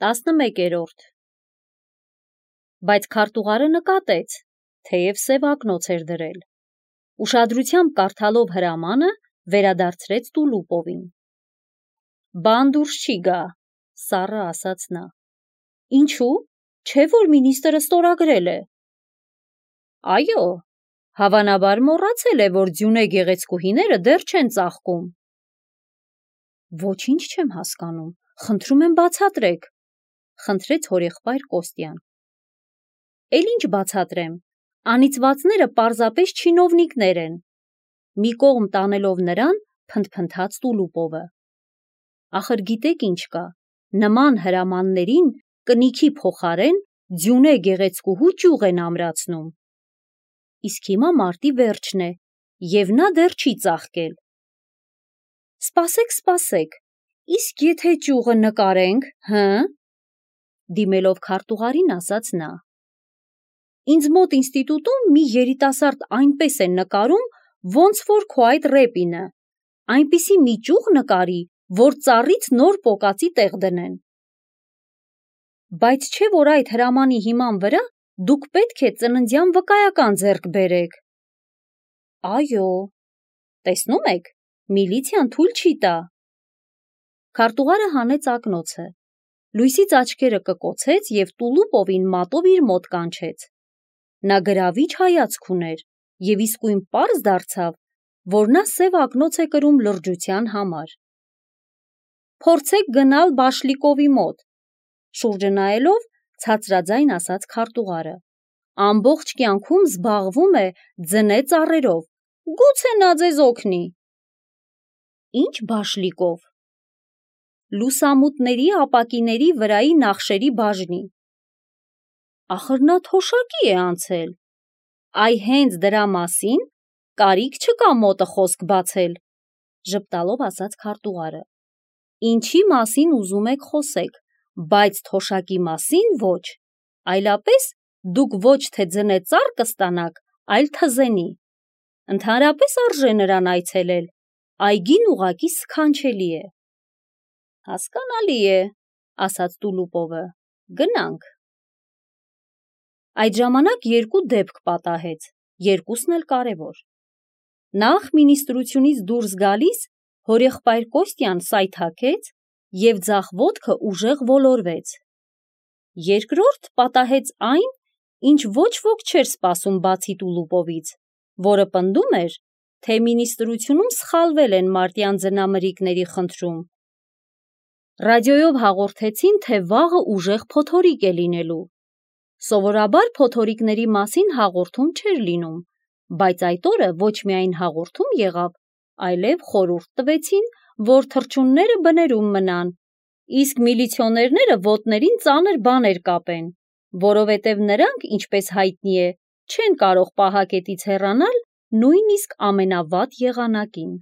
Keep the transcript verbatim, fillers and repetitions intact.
տասնմեկերորդ Բայց քարտուղարը նկատեց, թեև սև ակնոց էր դրել։ Ուշադրությամբ կարդալով հրամանը, վերադարձրեց Տուլուպովին։ Բան դուրս չի գա, սառը ասաց նա։ Ինչու՞, չէ՞ որ մինիստրը ստորագրել է։ Այո, հավանաբար մոռացել է, որ ձյունե գեղեցկուհիները դեռ չեն ծաղկում։ Ոչինչ չեմ հասկանում, խնդրում եմ բացատրեք, խնդրեց հորեղբայր Կոստյան։ Էլ ինչ բացատրեմ, անիծվածները պարզապես չինովնիկներ են, մի կողմ տանելով նրան, փնթփնթաց Տուլուպովը։ Ախր գիտեք ինչ կա, նման հրամաններին կնիքի փոխարեն ձյունե գեղեցկուհու ճյուղ են ամրացնում։ Իսկ հիմա մարտի վերջն է, և նա դեռ չի ծաղկել։ Սպասեք, սպասեք, իսկ եթե ճյուղը նկարենք, հը՞, դիմելով քարտուղարին ասաց նա։ Ինձ մոտ ինստիտուտում մի երիտասարդ այնպես է նկարում, ոնց որ քո այդ Ռեպինը, այնպիսի մի ճյուղ նկարի, որ ծառից նոր պոկածի տեղ դնեն։ Բայց չէ՞ որ այդ հրամանի հիման վրա դուք պետք է ծննդյան վկայական ձեռք բերեք։ Այո, տեսնում եք, միլիցիան թույլ չի տա։ Քարտուղարը հանեց ակնոցը, լույսից աչքերը կկոցեց և Տուլուպովին մատով իր մոտ կանչեց։ Նա գրավիչ հայացք ուներ և իսկույն պարզ դարձավ, որ նա սև ակնոց է կրում լրջության համար։ Փորձեք գնալ Բաշլիկովի մոտ, շուրջը նայելով ցածրաձայն ասաց քարտուղարը, ամբողջ կյանքում զբաղվում է ձնե ծառերով, գուցե նա ձեզ օգնի։ Ինչ Բաշլիկով։ Լուսամուտների ապակիների վրայի նախշերի բաժնի։ Ախր նա թոշակի է անցել։ Այ հենց դրա մասին կարիք չկա մոտը խոսք բացել, ժպտալով ասաց քարտուղարը։ Ինչի մասին ուզում եք խոսեք, բայց թոշակի մասին ոչ, այլապես դուք ոչ թե ձնե ծառ կստանաք, այլ թզենի։ Ընդհանրապես արժե նրան այցելել, այգին ուղղակի սքանչելի է։ Հասկանալի է, ասաց Տուլուպովը, գնանք։ Այդ ժամանակ երկու դեպք պատահեց, երկուսն էլ կարևոր։ Նախ մինիստրությունից դուրս գալիս հորեղբայր Կոստյան սայթաքեց և ձախ ոտքը ուժեղ ոլորվեց։ Երկրորդ պատահեց այն, ինչ ոչ ոք չէր սպասում բացի Տուլուպովից, որը պնդում էր, թե մինիստրությունում սխալվել են մարտյան ձնամրրիկների խնդրում։ Ռադիոյով հաղորդեցին, թե վաղը ուժեղ փոթորիկ է լինելու։ Սովորաբար փոթորիկների մասին հաղորդում չէր լինում, բայց այդ օրը ոչ միայն հաղորդում եղավ, այլև խորհուրդ տվեցին, որ թռչունները բներում մնան, իսկ միլիցիոներները ոտներին ծանր բաներ կապեն, որովհետև նրանք, ինչպես հայտնի է, չեն կարող պահակետից հեռանալ նույնիսկ ամենավատ եղանակին։